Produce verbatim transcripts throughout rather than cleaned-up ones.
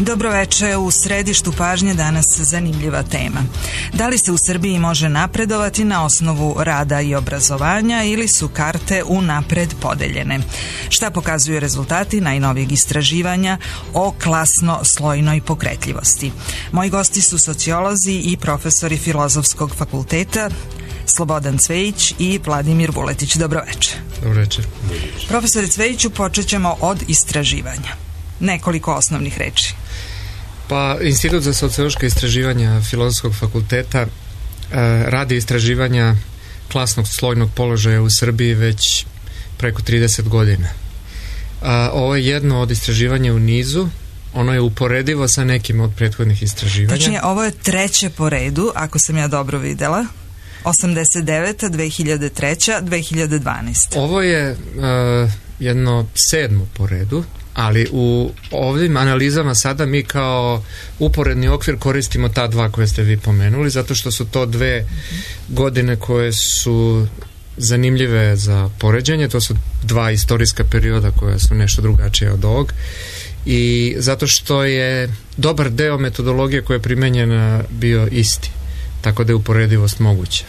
Dobroveče, u središtu pažnje danas zanimljiva tema. Da li se u Srbiji može napredovati na osnovu rada i obrazovanja ili su karte unapred podeljene? Šta pokazuju rezultati najnovijeg istraživanja o klasno-slojnoj pokretljivosti? Moji gosti su sociolozi i profesori Filozofskog fakulteta Slobodan Cvejić i Vladimir Vuletić. Dobroveče. Dobroveče. Profesore Cvejiću, počet ćemo od istraživanja. Nekoliko osnovnih reči. Pa, Institut za sociološka istraživanja Filozofskog fakulteta e, radi istraživanja klasnog slojnog položaja u Srbiji već preko trideset godina. A, ovo je jedno od istraživanja u nizu. Ono je uporedivo sa nekim od prethodnih istraživanja. Tačnije, ovo je treće po redu, ako sam ja dobro videla. osamdeset deveta, dve hiljade treća, dve hiljade dvanaesta. Ovo je uh, jedno sedmo po redu, ali u ovim analizama sada mi kao uporedni okvir koristimo ta dva koje ste vi pomenuli, zato što su to dve godine koje su zanimljive za poređenje. To su dva istorijska perioda koja su nešto drugačije od ovog i zato što je dobar deo metodologije koja je primenjena bio isti. Tako da je uporedivost moguća.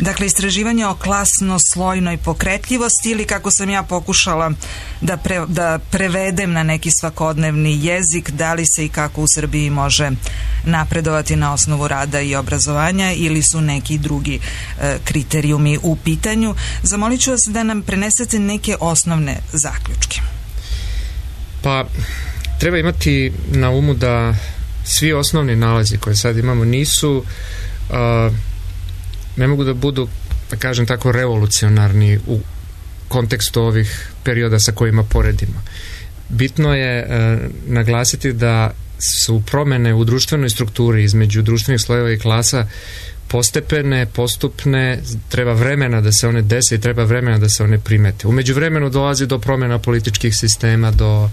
Dakle, istraživanje o klasno-slojnoj pokretljivosti ili kako sam ja pokušala da, pre, da prevedem na neki svakodnevni jezik, da li se i kako u Srbiji može napredovati na osnovu rada i obrazovanja ili su neki drugi e, kriterijumi u pitanju. Zamolit ću vas da nam prenesete neke osnovne zaključke. Pa, treba imati na umu da svi osnovni nalazi koje sad imamo nisu uh, ne mogu da budu, da kažem tako, revolucionarni u kontekstu ovih perioda sa kojima poredimo. Bitno je uh, naglasiti da su promene u društvenoj strukturi između društvenih slojeva i klasa postepene, postupne, treba vremena da se one dese i treba vremena da se one primete. U međuvremenu dolazi do promjena političkih sistema, do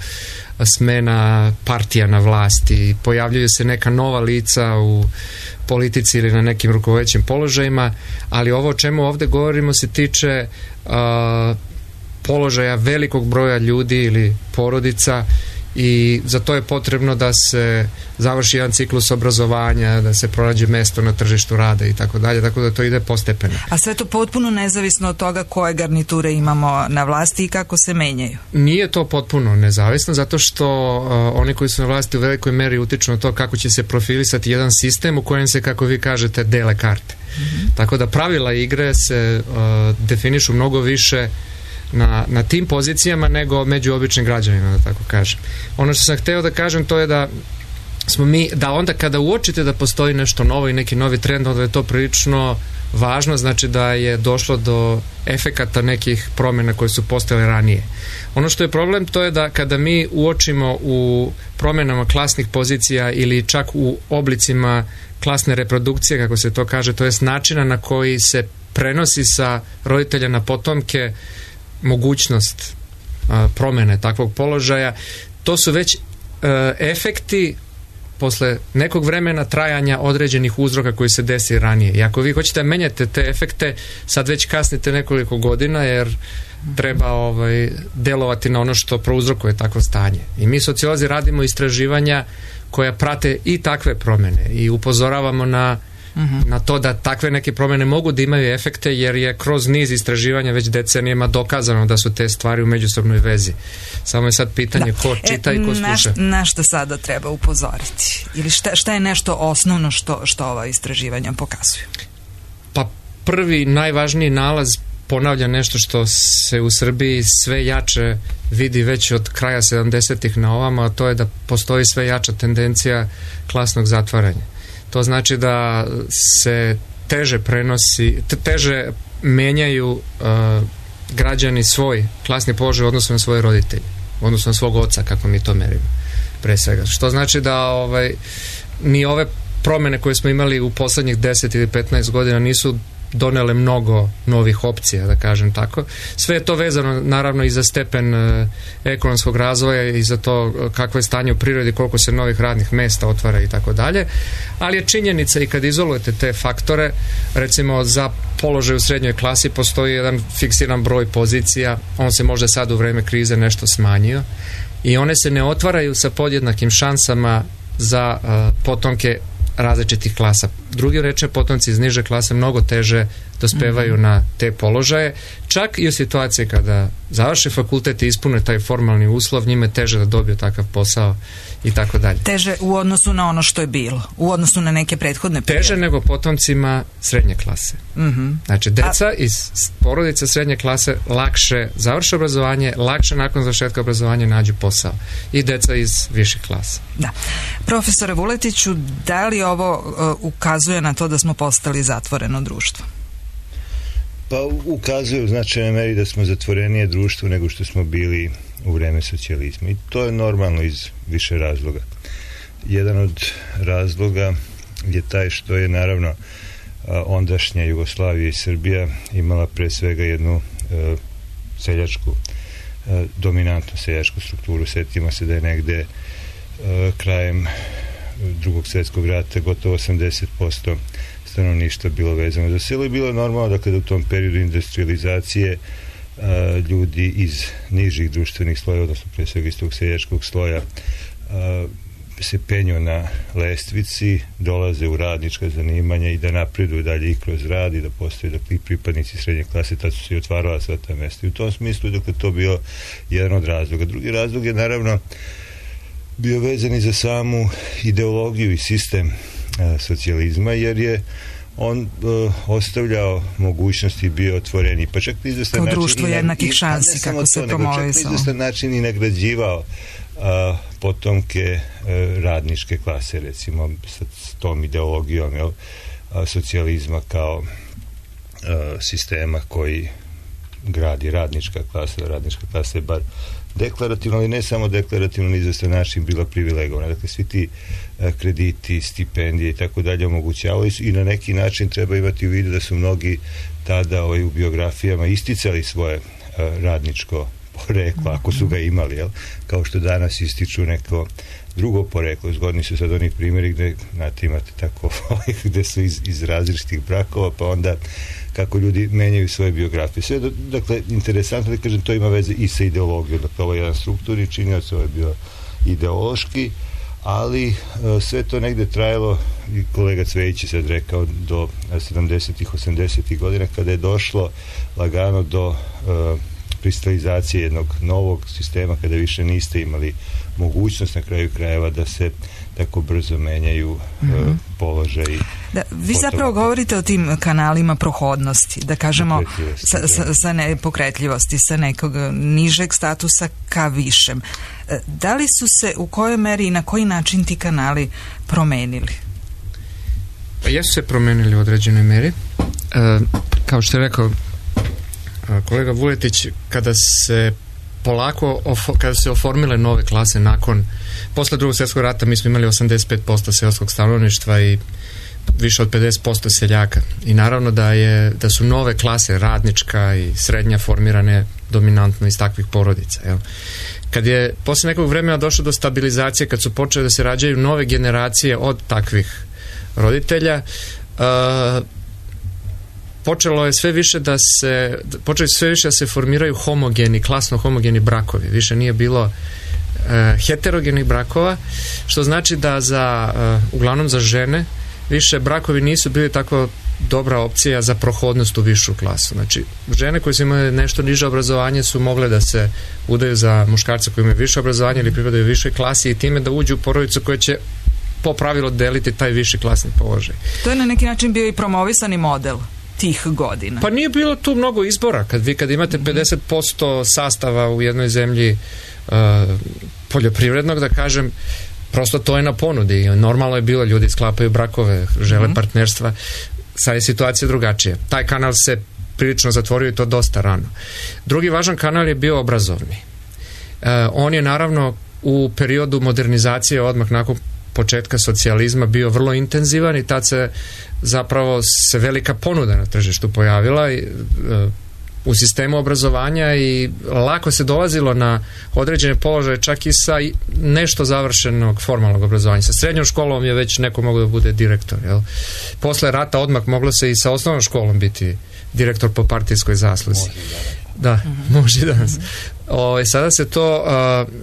smena partija na vlasti, pojavljuju se neka nova lica u politici ili na nekim rukovodećim položajima, ali ovo o čemu ovdje govorimo se tiče uh, položaja velikog broja ljudi ili porodica i za to je potrebno da se završi jedan ciklus obrazovanja, da se pronađe mesto na tržištu rada i tako dalje, tako da to ide postepeno. A sve to potpuno nezavisno od toga koje garniture imamo na vlasti i kako se menjaju? Nije to potpuno nezavisno, zato što uh, oni koji su na vlasti u velikoj meri utiču na to kako će se profilisati jedan sistem u kojem se, kako vi kažete, dele karte. Mm-hmm. Tako da pravila igre se uh, definišu mnogo više Na, na tim pozicijama nego među običnim građanima, da tako kažem. Ono što sam hteo da kažem to je da smo mi, da onda kada uočite da postoji nešto novo i neki novi trend, onda je to prilično važno, znači da je došlo do efekata nekih promjena koje su postojale ranije. Ono što je problem to je da kada mi uočimo u promjenama klasnih pozicija ili čak u oblicima klasne reprodukcije, kako se to kaže, to jest načina na koji se prenosi sa roditelja na potomke mogućnost a, promjene takvog položaja, to su već a, efekti posle nekog vremena trajanja određenih uzroka koji se desi ranije. I ako vi hoćete da menjate te efekte, sad već kasnite nekoliko godina jer treba ovaj, delovati na ono što prouzrokuje takvo stanje. I mi sociolozi radimo istraživanja koja prate i takve promjene i upozoravamo na Uh-huh. na to da takve neke promjene mogu da imaju efekte jer je kroz niz istraživanja već decenijama dokazano da su te stvari u međusobnoj vezi. Samo je sad pitanje da. ko čita e, i ko sluša. Na, na što sada treba upozoriti? Ili šta, šta je nešto osnovno što, što ova istraživanja pokazuju? Pa prvi najvažniji nalaz ponavlja nešto što se u Srbiji sve jače vidi već od kraja sedamdesetih na ovamo, a to je da postoji sve jača tendencija klasnog zatvaranja. To znači da se teže prenosi, teže menjaju uh, građani svoj klasni položaj u odnosu na svoje roditelje, u odnosu na svog oca, kako mi to merimo, pre svega. Što znači da ovaj, ni ove promjene koje smo imali u poslednjih deset ili petnaest godina nisu donele mnogo novih opcija, da kažem tako. Sve je to vezano naravno i za stepen e, ekonomskog razvoja i za to kakvo je stanje u prirodi, koliko se novih radnih mesta otvara i tako dalje, ali je činjenica i kad izolujete te faktore, recimo za položaj u srednjoj klasi postoji jedan fiksiran broj pozicija, on se možda sad u vreme krize nešto smanjio i one se ne otvaraju sa podjednakim šansama za uh, potomke različitih klasa. Drugi reče, potomci iz niže klase mnogo teže dospevaju mm-hmm. na te položaje, čak i u situaciji kada završe fakultet i ispune taj formalni uslov, njime je teže da dobiju takav posao i tako dalje. Teže u odnosu na ono što je bilo, u odnosu na neke prethodne periode. Teže nego potomcima srednje klase. Mm-hmm. Znači, deca A... iz porodice srednje klase lakše završe obrazovanje, lakše nakon završetka obrazovanja nađu posao. I deca iz viših klasa. Da. Profesore Vuletiću, da li ovo uh, ukazuje na to da smo postali zatvoreno društvo? Pa ukazuje u značajnoj meri da smo zatvorenije društvo nego što smo bili u vreme socijalizma. I to je normalno iz više razloga. Jedan od razloga je taj što je naravno ondašnja Jugoslavija i Srbija imala pre svega jednu e, seljačku, e, dominantnu seljačku strukturu. Sjetimo se da je negde e, krajem Drugog svjetskog rata gotovo osamdeset posto stanovništva bilo vezano za selo i bilo je normalno da kada u tom periodu industrializacije a, ljudi iz nižih društvenih sloja, odnosno pre svega iz tog seljačkog sloja, a, se penju na lestvici, dolaze u radnička zanimanja i da napreduju dalje i kroz rad i da postoje dakle, pripadnici srednje klase, tad su se i otvarala sva ta mesta. I u tom smislu dakle, to bio jedan od razloga. Drugi razlog je naravno bio vezan i za samu ideologiju i sistem a, socijalizma, jer je on uh, ostavljao mogućnosti, bio otvoreni, pa čak i izvestan način... Kao društvo jednakih šansi, kako se promovisao. Čak i izvestan način i nagrađivao uh, potomke uh, radničke klase, recimo, sa tom ideologijom jel, uh, socijalizma kao uh, sistema koji gradi radnička klasa, radnička klasa je bar deklarativno, ali ne samo deklarativno, na izvestan način bila privilegovana. Dakle, svi ti a, krediti, stipendije i tako dalje omogućavali su i na neki način treba imati u vidu da su mnogi tada ovaj, u biografijama isticali svoje a, radničko poreklo, ako su ga imali, jel? Kao što danas ističu neko drugo poreklo. Zgodni su sad onih primjeri gde, znate, imate tako gde su iz, iz različitih brakova, pa onda kako ljudi menjaju svoje biografije. Sve, dakle, interesantno da kažem, to ima veze i sa ideologijom. Dakle, ovo je jedan strukturni činioc, ovo je bio ideološki, ali uh, sve to negde trajalo, i kolega Cvejić je sad rekao, do sedamdesetih, osamdesetih godina, kada je došlo lagano do uh, kristalizacije jednog novog sistema, kada više niste imali mogućnost na kraju krajeva da se tako brzo menjaju mm-hmm. uh, položaji. Da, vi zapravo govorite o tim kanalima prohodnosti, da kažemo sa, sa, sa nepokretljivosti, sa nekog nižeg statusa ka višem. Da li su se u kojoj meri i na koji način ti kanali promenili? Pa jesu se promenili u određenoj meri. E, kao što je rekao kolega Vuletić, kada se polako, kada se oformile nove klase nakon, posle Drugog svjetskog rata mi smo imali osamdeset pet posto seoskog stanovništva i više od pedeset posto seljaka. I naravno da je, da su nove klase, radnička i srednja, formirane dominantno iz takvih porodica. Jel? Kad je posle nekog vremena došlo do stabilizacije, kad su počeli da se rađaju nove generacije od takvih roditelja, uh, počelo je sve više da se počeli sve više da se formiraju homogeni, klasno homogeni brakovi. Više nije bilo e, heterogenih brakova, što znači da za, e, uglavnom za žene, više brakovi nisu bili tako dobra opcija za prohodnost u višu klasu. Znači, žene koje su imale nešto niže obrazovanje su mogle da se udaju za muškarce koji imaju više obrazovanje ili pripadaju višoj klasi i time da uđu u porodicu koja će po pravilu deliti taj viši klasni položaj. To je na neki način bio i promovisani model tih godina. Pa nije bilo tu mnogo izbora. Kad vi kad imate pedeset posto sastava u jednoj zemlji uh, poljoprivrednog, da kažem, prosto to je na ponudi. Normalno je bilo, ljudi sklapaju brakove, žele mm-hmm. partnerstva. Sad je situacija drugačija. Taj kanal se prilično zatvorio i to dosta rano. Drugi važan kanal je bio obrazovni. Uh, on je naravno u periodu modernizacije odmah nakon početka socijalizma bio vrlo intenzivan i tad se zapravo se velika ponuda na tržištu pojavila i, u sistemu obrazovanja i lako se dolazilo na određene položaje čak i sa nešto završenog formalnog obrazovanja. Sa srednjom školom je već neko mogao da bude direktor. Jel? Posle rata odmah moglo se i sa osnovnom školom biti direktor po partijskoj zasluzi. Da, uh-huh. može i danas. O, sada se to uh,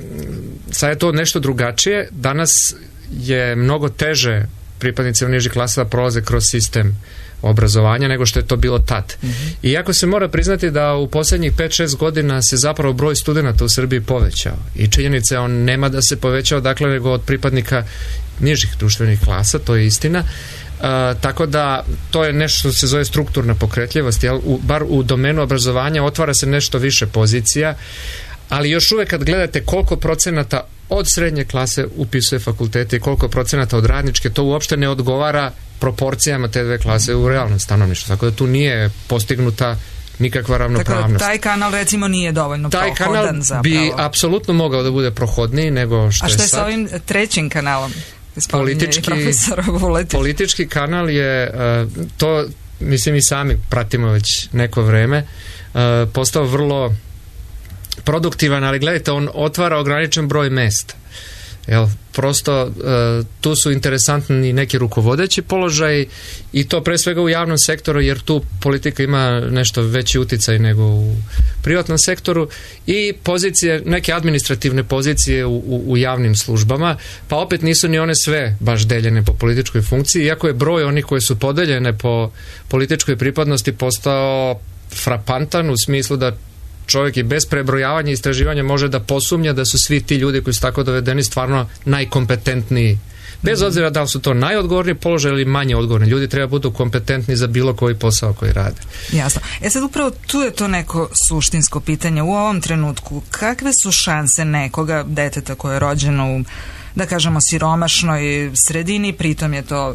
sada je to nešto drugačije. Danas je mnogo teže pripadnicima nižih klasa da prolaze kroz sistem obrazovanja nego što je to bilo tad. Mm-hmm. Iako se mora priznati da u posljednjih pet šest godina se zapravo broj studenata u Srbiji povećao. I činjenica je on nema da se povećao dakle nego od pripadnika nižih društvenih klasa, to je istina. Uh, tako da to je nešto što se zove strukturna pokretljivost, jel? U, bar u domenu obrazovanja otvara se nešto više pozicija, ali još uvek kad gledate koliko procenata od srednje klase upisuje fakultete i koliko procenata od radničke, to uopšte ne odgovara proporcijama te dve klase u realnom stanovništvu. Tako da tu nije postignuta nikakva ravnopravnost. Tako da taj kanal recimo nije dovoljno taj prohodan kanal zapravo. Bi apsolutno mogao da bude prohodniji nego što je sad. A što je sa ovim trećim kanalom? Politički, politički kanal je uh, to, mislim i sami pratimo već neko vreme, uh, postao vrlo produktivan, ali gledajte, on otvara ograničen broj mesta. Jel, prosto uh, tu su interesantni neki rukovodeći položaji i to pre svega u javnom sektoru, jer tu politika ima nešto veći uticaj nego u privatnom sektoru, i pozicije, neke administrativne pozicije u, u, u javnim službama, pa opet nisu ni one sve baš deljene po političkoj funkciji, iako je broj onih koje su podeljene po političkoj pripadnosti postao frapantan u smislu da čovjek i bez prebrojavanja i istraživanja može da posumnja da su svi ti ljudi koji su tako dovedeni stvarno najkompetentniji. Bez obzira da li su to najodgovorniji položaj ili manje odgovorni. Ljudi treba budu kompetentni za bilo koji posao koji rade. Jasno. E sad upravo tu je to neko suštinsko pitanje. U ovom trenutku kakve su šanse nekoga deteta koje je rođeno u, da kažemo, siromašnoj sredini, pritom je to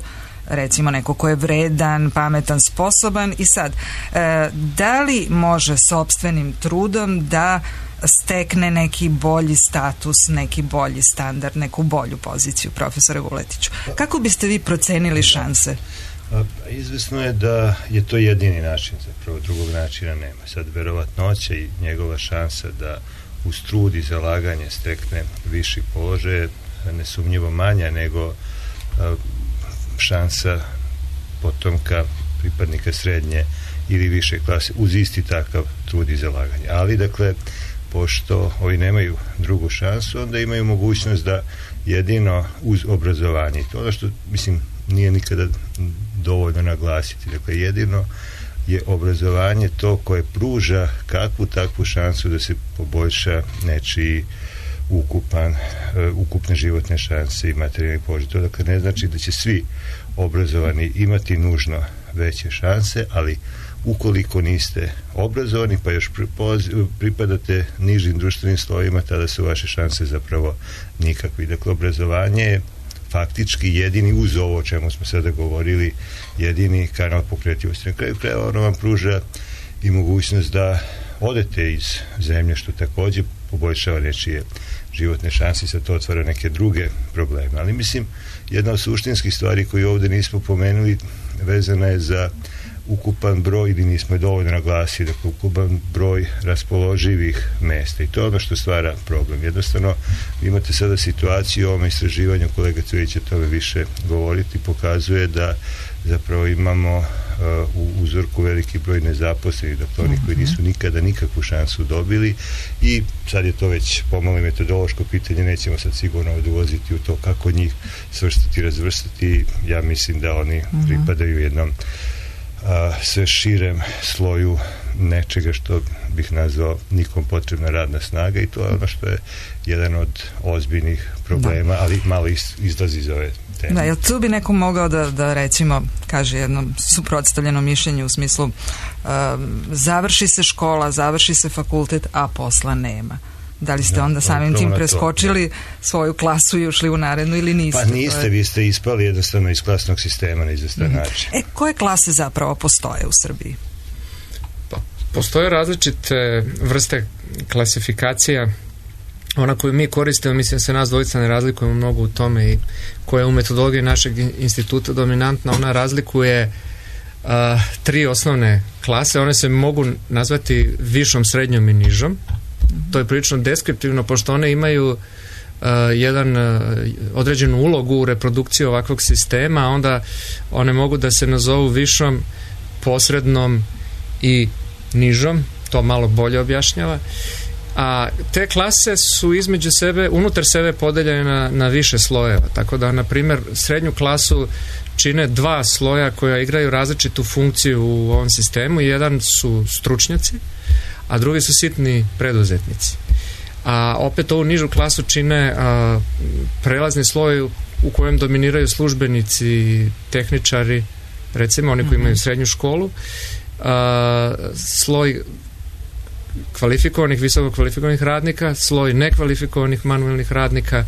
recimo neko ko je vredan, pametan, sposoban, i sad e, da li može sopstvenim trudom da stekne neki bolji status, neki bolji standard, neku bolju poziciju, profesore Vuletiću? Kako biste vi procenili šanse? Izvesno je da je to jedini način, zapravo drugog načina nema. Sad verovatnoća i njegova šansa da uz trud i zalaganje stekne viši položaj nesumnjivo manja nego šansa potomka pripadnika srednje ili više klase uz isti takav trud i zalaganje. Ali, dakle, pošto ovi nemaju drugu šansu, onda imaju mogućnost da jedino uz obrazovanje, to ono što, mislim, nije nikada dovoljno naglasiti, dakle, jedino je obrazovanje to koje pruža kakvu takvu šansu da se poboljša nečiji ukupan, uh, ukupne životne šanse i materijalni položaj. To dakle ne znači da će svi obrazovani imati nužno veće šanse, ali ukoliko niste obrazovani pa još pripadate nižim društvenim slojima, tada su vaše šanse zapravo nikakvi. Dakle, obrazovanje je faktički jedini, uz ovo o čemu smo sada govorili, jedini kanal pokretljivosti. Na kraju krajeva ono vam pruža i mogućnost da odete iz zemlje, što također poboljšava nečije životne šanse i sad to otvara neke druge probleme. Ali mislim, jedna od suštinskih stvari koju ovdje nismo pomenuli vezana je za ukupan broj, ili nismo je dovoljno naglasili, dakle ukupan broj raspoloživih mesta, i to je ono što stvara problem. Jednostavno, vi imate sada situaciju u ovom istraživanju, kolega Cvjetić će tome više govoriti, pokazuje da zapravo imamo uh, u uzorku veliki broj nezaposlenih, dakle oni koji nisu nikada nikakvu šansu dobili, i sad je to već pomalo metodološko pitanje, nećemo sad sigurno odvoziti u to kako njih svrstati, razvrstati. Ja mislim da oni pripadaju jednom a, sve širem sloju nečega što bih nazvao nikom potrebna radna snaga, i to je ono što je jedan od ozbiljnih problema, da. Ali malo iz, izlazi iz ove teme. Da, jel tu bi neko mogao da, da recimo kaže jedno suprotstavljeno mišljenje u smislu um, završi se škola, završi se fakultet, a posla nema? Da li ste da, onda samim tim preskočili to, svoju klasu i ušli u narednu ili niste? Pa niste, je... vi ste ispali jednostavno iz klasnog sistema na izvestan mm-hmm. način. E, koje klase zapravo postoje u Srbiji? Pa, postoje različite vrste klasifikacija ona koju mi koristimo, mislim se nas dvojica ne razlikujemo mnogo u tome i koja je u metodologiji našeg instituta dominantna, ona razlikuje uh, tri osnovne klase, one se mogu nazvati višom, srednjom i nižom. Mm-hmm. To je prilično deskriptivno, pošto one imaju uh, jedan uh, određenu ulogu u reprodukciji ovakvog sistema, a onda one mogu da se nazovu višom, posrednom i nižom, to malo bolje objašnjava. A te klase su između sebe, unutar sebe podeljene na, na više slojeva, tako da, na primjer, srednju klasu čine dva sloja koja igraju različitu funkciju u ovom sistemu. Jedan su stručnjaci, a drugi su sitni preduzetnici. A opet ovu nižu klasu čine a, prelazni sloj u kojem dominiraju službenici, tehničari, recimo oni koji imaju srednju školu, a, sloj kvalifikovanih, visoko kvalifikovanih radnika, sloj nekvalifikovanih manuelnih radnika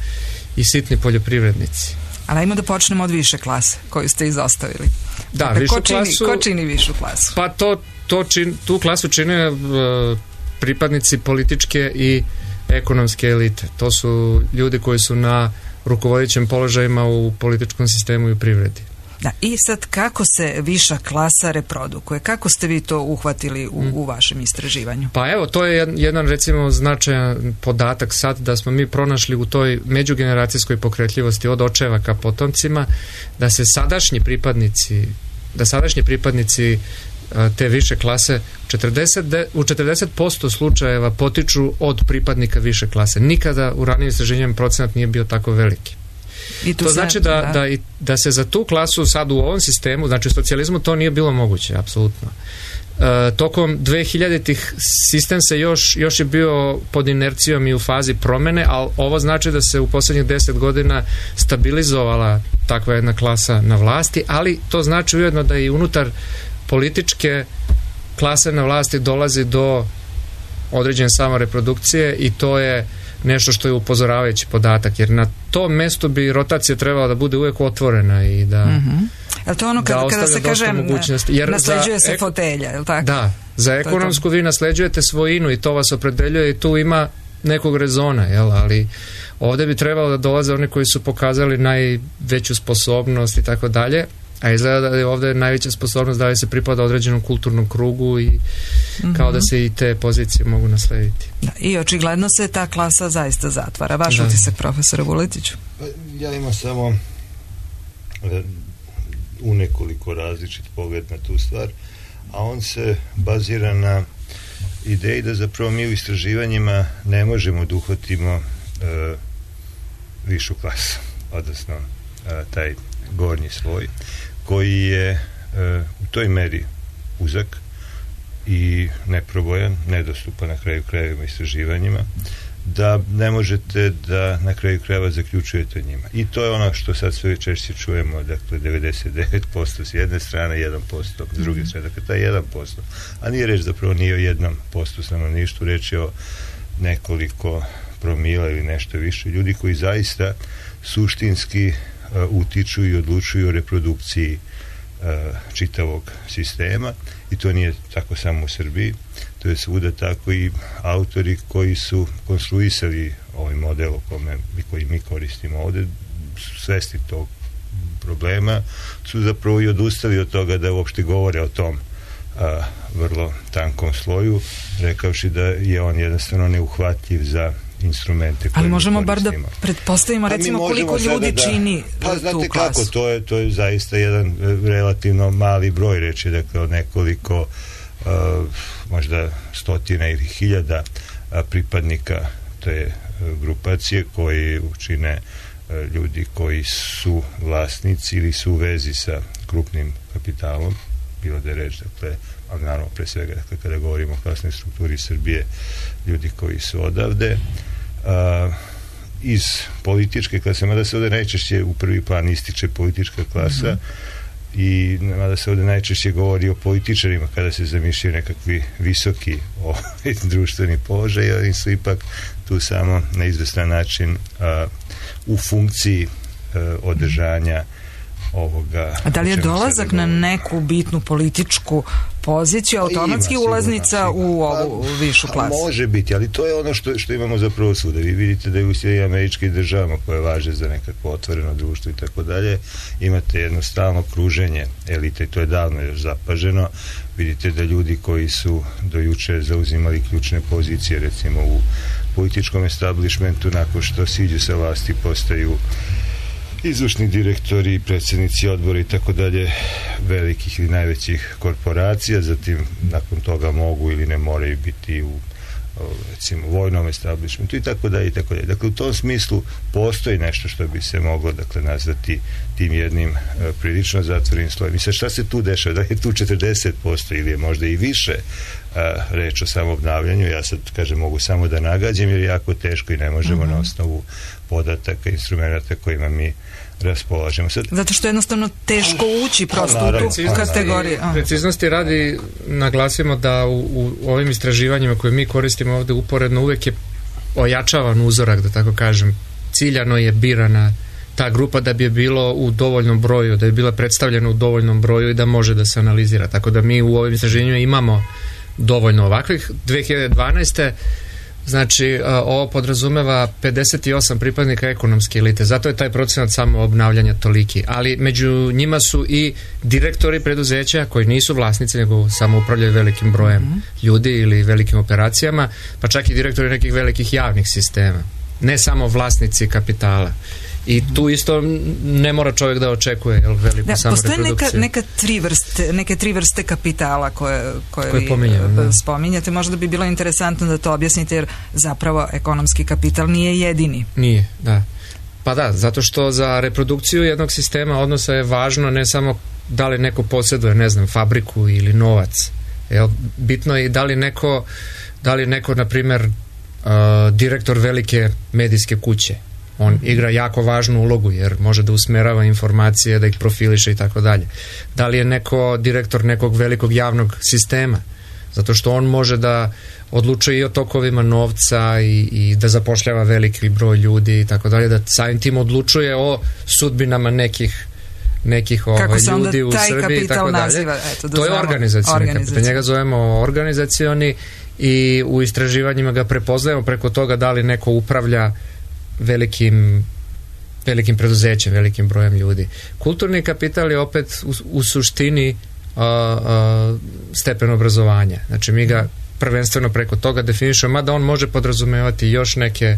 i sitni poljoprivrednici. Ali ajmo da počnemo od više klase koju ste izostavili. Da, dakle, višu ko čini, klasu... Ko čini višu klasu? Pa to, to čin, tu klasu čine uh, pripadnici političke i ekonomske elite. To su ljudi koji su na rukovodećim položajima u političkom sistemu i u privredi. Da, i sad kako se viša klasa reprodukuje? Kako ste vi to uhvatili u, u vašem istraživanju? Pa evo, to je jedan, recimo, značajan podatak sad, da smo mi pronašli u toj međugeneracijskoj pokretljivosti od očeva ka potomcima, da se sadašnji pripadnici da sadašnji pripadnici te više klase četrdeset, u četrdeset posto slučajeva potiču od pripadnika više klase. Nikada u ranijim istraživanjima procenat nije bio tako veliki. I to se, znači da, da. Da, i, da se za tu klasu sad u ovom sistemu, znači u socijalizmu, to nije bilo moguće, apsolutno. E, tokom dvehiljaditih sistem se još, još je bio pod inercijom i u fazi promene, ali ovo znači da se u posljednjih deset godina stabilizovala takva jedna klasa na vlasti, ali to znači ujedno da i unutar političke klase na vlasti dolazi do određene samoreprodukcije i to je nešto što je upozoravajući podatak, jer na tom mestu bi rotacija trebala da bude uvijek otvorena i da mm-hmm. Je to ono kada, kada se kaže jer nasleđuje se ek... fotelja, je li tako? Da, za ekonomsku vi nasleđujete svojinu i to vas opredeljuje i tu ima nekog rezona, jel? Ali ovdje bi trebalo da dolaze oni koji su pokazali najveću sposobnost i tako dalje, a izgleda da je ovdje najveća sposobnost da se pripada određenom kulturnom krugu i mm-hmm. kao da se i te pozicije mogu naslediti. Da, i očigledno se ta klasa zaista zatvara. Vaš da. utisak, profesore Vuletiću? Ja imam samo u nekoliko različit pogled na tu stvar, a on se bazira na ideji da zapravo mi u istraživanjima ne možemo da uhvatimo e, višu klasu, odnosno e, taj gornji sloj, koji je e, u toj meri uzak i neprobojan, nedostupan na kraju krajeva istraživanjima, da ne možete da na kraju krajeva zaključujete njima. I to je ono što sad sve češće čujemo, dakle devedeset devet posto s jedne strane, jedan posto s druge strane, dakle taj jedan posto. A nije reč zapravo nije o jednom postu stanovništvu, reč je o nekoliko promila ili nešto više ljudi koji zaista suštinski uh, utiču i odlučuju o reprodukciji uh, čitavog sistema, i to nije tako samo u Srbiji, to je svuda tako. I autori koji su konstruisali ovaj model o kome koji mi koristimo ovdje, svesni tog problema, su zapravo i odustali od toga da uopšte govore o tom a, vrlo tankom sloju, rekavši da je on jednostavno neuhvatljiv za instrumente. Ali možemo bar da pretpostavimo, recimo, koliko ljudi da, čini pa, tu znate klasu. Kako, to je, to je zaista jedan relativno mali broj, reći, dakle, od nekoliko uh, možda stotina ili hiljada uh, pripadnika te uh, grupacije koji učine uh, ljudi koji su vlasnici ili su u vezi sa krupnim kapitalom, bilo da je reč, dakle, ali naravno pre svega, dakle, kada govorimo o klasnoj strukturi Srbije, ljudi koji su odavde, uh, iz političke klase, mada se ovdje najčešće u prvi plan ističe politička klasa, mm-hmm. i mada se ovdje najčešće govori o političarima kada se zamišljaju nekakvi visoki o, društveni položaj, ali su ipak tu samo na izvestan način uh, u funkciji uh, održanja ovoga. A da li je dolazak na neku bitnu političku poziciju automatski ima, ulaznica sigurno, sigurno. u ovu pa, višu klasu. Može biti, ali to je ono što, što imamo zapravo svuda. Vi vidite da je u Sjedinjenim Američkim Državama, koje važe za nekakvo otvoreno društvo i tako dalje, imate jedno stalno kruženje elite i to je davno još zapaženo. Vidite da ljudi koji su do juče zauzimali ključne pozicije, recimo u političkom establishmentu, nakon što siđu sa vlasti, postaju izvršni direktori, predsjednici odbora i tako dalje velikih ili najvećih korporacija, zatim nakon toga mogu ili ne moraju biti u recimo vojnom establishmentu i tako dalje i tako dalje. Dakle, u tom smislu postoji nešto što bi se moglo, dakle, nazvati tim jednim uh, prilično zatvorenim slojem. I sad šta se tu dešava? Da je tu četrdeset posto ili je možda i više uh, reč o samoobnavljanju? Ja sad, kažem, mogu samo da nagađam jer je jako teško i ne možemo mm-hmm. na osnovu podataka, instrumenta kojima mi raspolažemo. Sad, zato što je jednostavno teško ući prosto u tu kategoriju. Preciznosti radi naglasimo da u, u ovim istraživanjima koje mi koristimo ovde uporedno uvek je ojačavan uzorak, da tako kažem. Ciljano je birana ta grupa da bi je bilo u dovoljnom broju, da je bila predstavljena u dovoljnom broju i da može da se analizira. Tako da mi u ovim istraživanjima imamo dovoljno ovakvih. dve hiljade dvanaeste znači, ovo podrazumeva pedeset osam pripadnika ekonomske elite, zato je taj procenat samo obnavljanja toliki, ali među njima su i direktori preduzeća koji nisu vlasnici, nego samo upravljaju velikim brojem mm-hmm. ljudi ili velikim operacijama, pa čak i direktori nekih velikih javnih sistema, ne samo vlasnici kapitala. I tu isto ne mora čovjek da očekuje jel, veliku da, samoreprodukciju. Postoje neka, neka tri vrste, neke tri vrste kapitala koje, koje, koje vi spominjate. Možda bi bilo interesantno da to objasnite, jer zapravo ekonomski kapital nije jedini. Nije, da. Pa da, zato što za reprodukciju jednog sistema odnosa je važno ne samo da li neko posjeduje, ne znam, fabriku ili novac. Jel, bitno je i da li neko, da li neko, na primjer, uh, direktor velike medijske kuće. On igra jako važnu ulogu jer može da usmerava informacije, da ih profiliše i tako dalje. Da li je neko direktor nekog velikog javnog sistema? Zato što on može da odlučuje i o tokovima novca i, i da zapošljava veliki broj ljudi i tako dalje, da samim tim odlučuje o sudbinama nekih nekih ovaj, ljudi u Srbiji i tako dalje. Naziva, eto, da to je organizacioni kapital. Njega zovemo organizacioni i u istraživanjima ga prepoznajemo preko toga da li neko upravlja velikim velikim preduzećem, velikim brojem ljudi. Kulturni kapital je opet u, u suštini a, a, stepen obrazovanja. Znači mi ga prvenstveno preko toga definišemo, mada on može podrazumevati još neke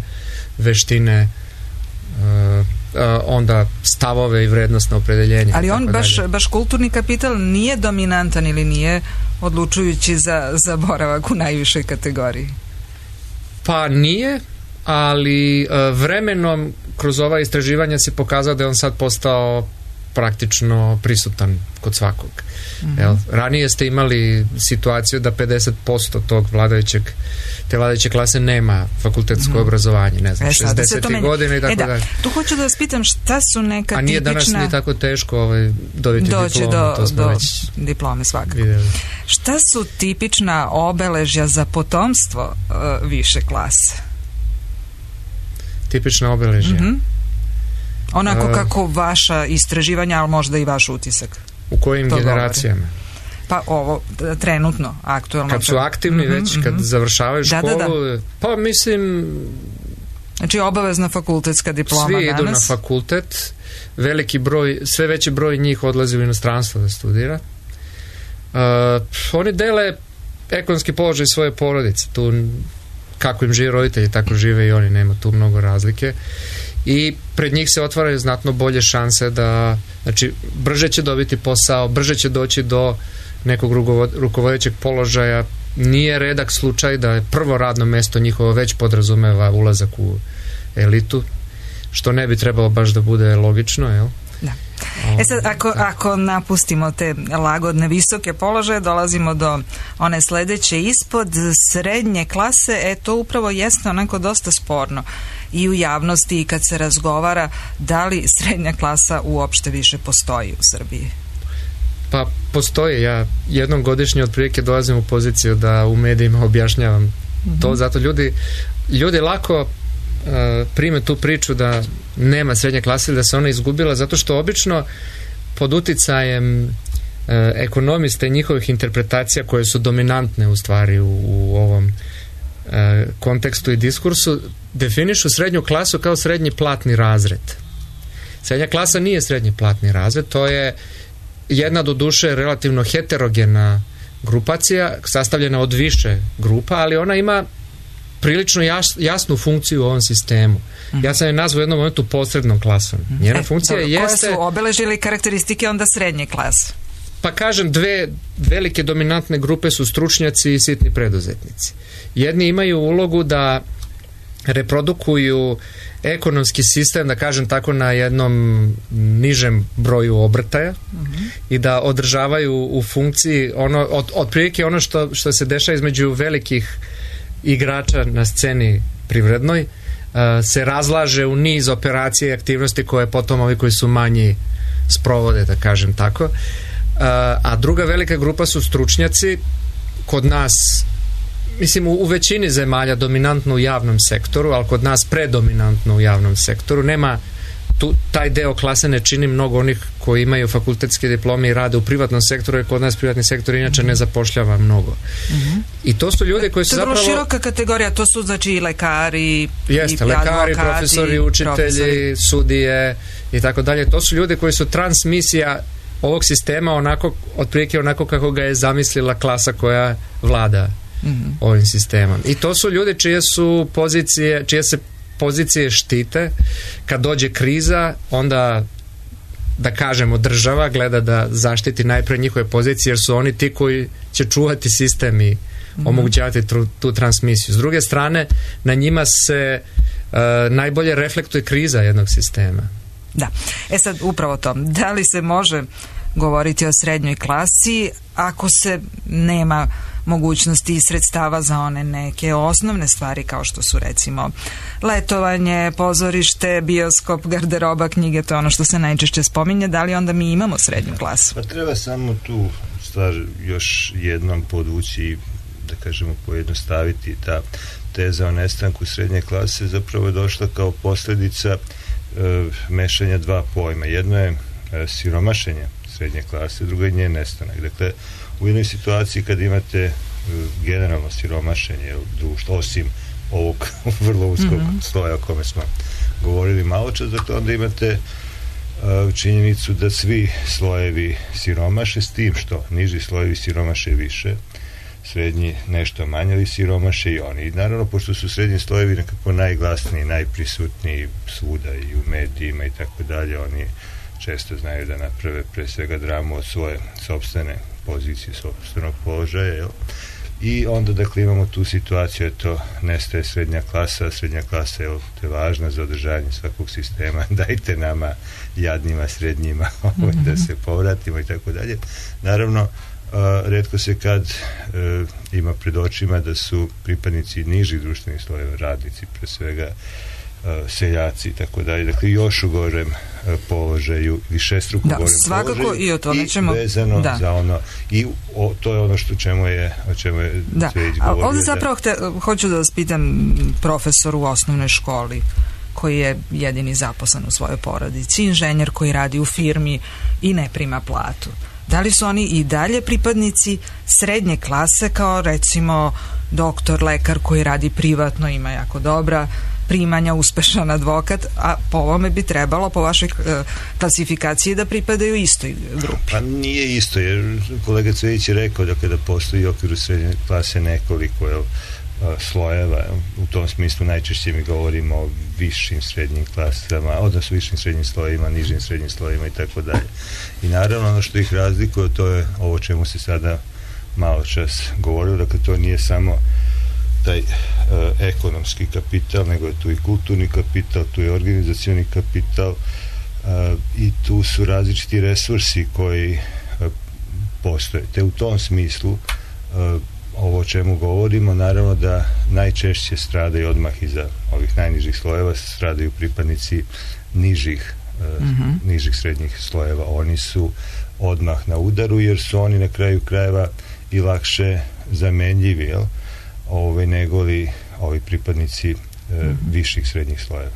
veštine, a, a, onda stavove i vrednostno opredeljenje. Ali on baš, baš kulturni kapital nije dominantan ili nije odlučujući za, za boravak u najvišoj kategoriji? Pa nije, ali vremenom kroz ova istraživanja se pokazao da je on sad postao praktično prisutan kod svakog. Mm-hmm. Jel, ranije ste imali situaciju da pedeset posto tog vladajućeg te vladajuće klase nema fakultetsko mm-hmm. obrazovanje, ne znam, e, šezdesetih godina i tako e, da. dalje. Tu hoću da vas pitam šta su neka tipična... A nije tipična... danas nije tako teško ovaj, dobiti doći diplomu, do, to smo do već diplome svakako. Vidjeli. Šta su tipična obeležja za potomstvo uh, više klase? Tipična obeležja. Mm-hmm. Onako uh, kako vaša istraživanja, ali možda i vaš utisak. U kojim generacijama? Govori. Pa ovo, trenutno, aktualno. Kad su aktivni mm-hmm, već, kad mm-hmm. završavaju školu, da, da, da. pa mislim... Znači obavezna fakultetska diploma svi danas. Svi idu na fakultet, veliki broj, sve veći broj njih odlazi u inostranstvo da studira. Uh, oni dele ekonomski položaj svoje porodice, tu kako im žive roditelji, tako žive i oni, nema tu mnogo razlike. I pred njih se otvaraju znatno bolje šanse da, znači, brže će dobiti posao, brže će doći do nekog rukovodećeg položaja. Nije redak slučaj da je prvo radno mesto njihovo već podrazumeva ulazak u elitu, što ne bi trebalo baš da bude logično, jel? Da. E sad, ako, ako napustimo te lagodne visoke položaje, dolazimo do one sledeće ispod srednje klase, e to upravo jeste onako dosta sporno i u javnosti i kad se razgovara da li srednja klasa uopšte više postoji u Srbiji. Pa postoji, ja jednom godišnje otprilike dolazim u poziciju da u medijima objašnjavam mm-hmm. to, zato ljudi ljudi lako Uh, prime tu priču da nema srednje klase ili da se ona izgubila, zato što obično pod uticajem e, ekonomiste i njihovih interpretacija koje su dominantne u stvari u, u ovom e, kontekstu i diskursu, definišu srednju klasu kao srednji platni razred. Srednja klasa nije srednji platni razred, to je jedna do duše relativno heterogena grupacija, sastavljena od više grupa, ali ona ima prilično jas, jasnu funkciju u ovom sistemu. Mm-hmm. Ja sam je nazvao u jednom momentu posrednom klasom. Njena e, funkcija dobro, jeste... Koje su obeležili karakteristike onda srednje klase? Pa kažem, dve velike dominantne grupe su stručnjaci i sitni preduzetnici. Jedni imaju ulogu da reprodukuju ekonomski sistem, da kažem tako, na jednom nižem broju obrtaja, mm-hmm. i da održavaju u funkciji ono, od, otprilike ono što, što se dešava između velikih igrača na sceni privrednoj, uh, se razlaže u niz operacija i aktivnosti koje potom ovi koji su manji sprovode, da kažem tako. Uh, a druga velika grupa su stručnjaci, kod nas mislim u, u većini zemalja dominantno u javnom sektoru, ali kod nas predominantno u javnom sektoru. Nema tu, taj deo klase ne čini mnogo onih koji imaju fakultetske diplome i rade u privatnom sektoru, jer kod nas privatni sektor inače ne zapošljava mnogo. Mm-hmm. I to su ljudi koji su zapravo... To je vrlo široka kategorija, to su znači i lekari, jeste, i lekari, advokati, profesori, učitelji, profesori. Sudije i tako dalje. To su ljudi koji su transmisija ovog sistema onako, otprilike onako kako ga je zamislila klasa koja vlada mm-hmm. ovim sistemom. I to su ljudi čije su pozicije, čije se pozicije štite. Kad dođe kriza, onda, da kažemo, država gleda da zaštiti najpre njihove pozicije, jer su oni ti koji će čuvati sistem i mm-hmm. omogućavati tu, tu transmisiju. S druge strane, na njima se uh, najbolje reflektuje kriza jednog sistema. Da. E sad, upravo to. Da li se može govoriti o srednjoj klasi ako se nema mogućnosti i sredstava za one neke osnovne stvari kao što su recimo letovanje, pozorište, bioskop, garderoba, knjige, to je ono što se najčešće spominje. Da li onda mi imamo srednju klasu? Pa treba samo tu stvar još jednom podvući i da kažemo pojednostaviti. Ta teza o nestanku srednje klase zapravo je došla kao posljedica e, mešanja dva pojma. Jedno je e, siromašenje srednje klase, drugo je njen nestanak. Dakle, u jednoj situaciji kad imate uh, generalno siromašenje društva, osim ovog vrlo uskog mm-hmm. sloja o kome smo govorili malo čas, dakle onda imate uh, činjenicu da svi slojevi siromaše, s tim što niži slojevi siromaše više, srednji nešto manje, ali siromaše i oni. I naravno, pošto su srednji slojevi nekako najglasniji, najprisutniji svuda i u medijima i tako dalje, oni često znaju da naprave pre svega dramu od svoje sopstvene pozicije, sopstvenog položaja, jel? I onda, dakle, imamo tu situaciju, eto, nestaje srednja klasa, srednja klasa je, to je važna za održavanje svakog sistema, dajte nama, jadnima, srednjima, mm-hmm. da se povratimo i tako dalje. Naravno, uh, retko se kad uh, ima pred očima da su pripadnici nižih društvenih slojeva, radnici, pre svega, Uh, seljaci i tako dalje, dakle još u gorem uh, položaju, višestruko da, gorem svakako položaju i o tome ćemo vezano da. za ono i o, to je ono što čemu je o čemu je da. Cvetić govorio. Ovdje zapravo hte, hoću da vas pitam, profesor u osnovnoj školi koji je jedini zaposlen u svojoj porodici, inženjer koji radi u firmi i ne prima platu. Da li su oni i dalje pripadnici srednje klase kao recimo doktor, lekar koji radi privatno, ima jako dobra primanja, uspešan advokat, a po ovome bi trebalo, po vašoj e, klasifikaciji, da pripadaju istoj grupi. Pa nije isto, jer kolega Cvetić je rekao da kada postoji u okviru srednje klase nekoliko jel, slojeva, u tom smislu najčešće mi govorimo o višim srednjim klasama, odnosno višim srednjim slojima, nižim srednjim slojima i tako dalje. I naravno ono što ih razlikuje, to je ovo čemu se sada malo čas govorilo, dakle to nije samo taj uh, ekonomski kapital, nego je tu i kulturni kapital, tu je organizacioni kapital uh, i tu su različiti resursi koji uh, postoje. Te u tom smislu uh, ovo o čemu govorimo, naravno da najčešće stradaju odmah iza ovih najnižih slojeva, stradaju pripadnici nižih, uh, mm-hmm. nižih srednjih slojeva. Oni su odmah na udaru, jer su oni na kraju krajeva i lakše zamenljivi, jel? Ove, negoli ovi pripadnici e, mm-hmm. viših srednjih slojeva.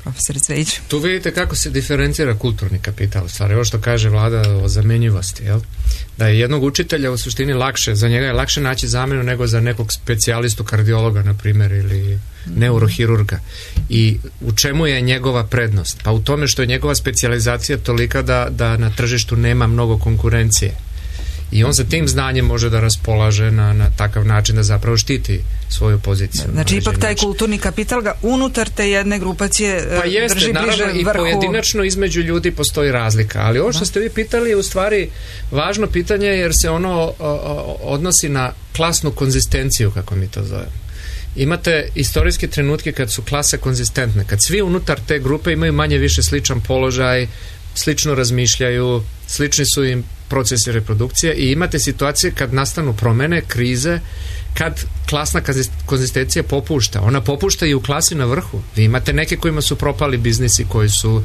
profesor Cvejić? Tu vidite kako se diferencira kulturni kapital, u stvari, ovo što kaže Vlada o zamenjivosti, jel? Da je jednog učitelja u suštini lakše, za njega je lakše naći zamenu nego za nekog specijalistu kardiologa, na primjer, ili neurohirurga. I u čemu je njegova prednost? Pa u tome što je njegova specijalizacija tolika da, da na tržištu nema mnogo konkurencije. I on sa tim znanjem može da raspolaže na, na takav način da zapravo štiti svoju poziciju. Znači ipak taj način. Kulturni kapital ga unutar te jedne grupacije pa jeste, drži bliže naravno, vrhu. I pojedinačno između ljudi postoji razlika. Ali ovo što ste vi pitali je u stvari važno pitanje jer se ono o, o, odnosi na klasnu konzistenciju, kako mi to zovemo. Imate istorijske trenutke kad su klase konzistentne, kad svi unutar te grupe imaju manje više sličan položaj, slično razmišljaju, slični su im procesi reprodukcije i imate situacije kad nastanu promene, krize, kad klasna konzistencija popušta. Ona popušta i u klasi na vrhu. Vi imate neke kojima su propali biznisi, koji su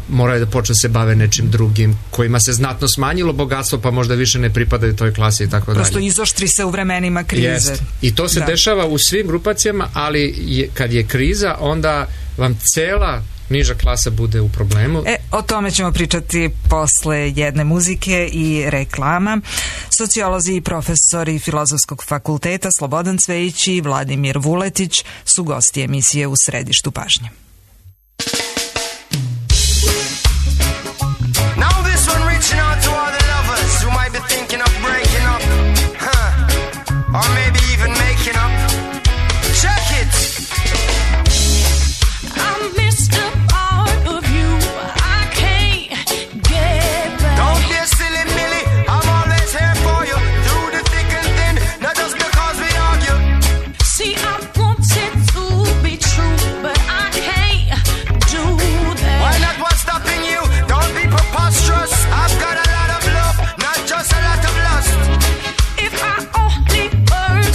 moraju da počnu se bave nečim drugim, kojima se znatno smanjilo bogatstvo, pa možda više ne pripadaju toj klasi i tako dalje. Prosto izoštri se u vremenima krize. Jest. I to se da. dešava u svim grupacijama, ali je, kad je kriza, onda vam cela niža klasa bude u problemu. E, o tome ćemo pričati posle jedne muzike i reklama. Sociolozi i profesori Filozofskog fakulteta Slobodan Cvejić i Vladimir Vuletić su gosti emisije U središtu pažnje. Now this one reaching out to all the lovers who might be thinking of breaking up, huh? Or maybe even making up. Check it! I missed a part of you I can't get back. Don't be a silly Millie, I'm always here for you, through the thick and thin, not just because we argue. See, I want it to be true, but I can't do that. Why not? What's stopping you? Don't be preposterous. I've got a lot of love, not just a lot of lust. If I only were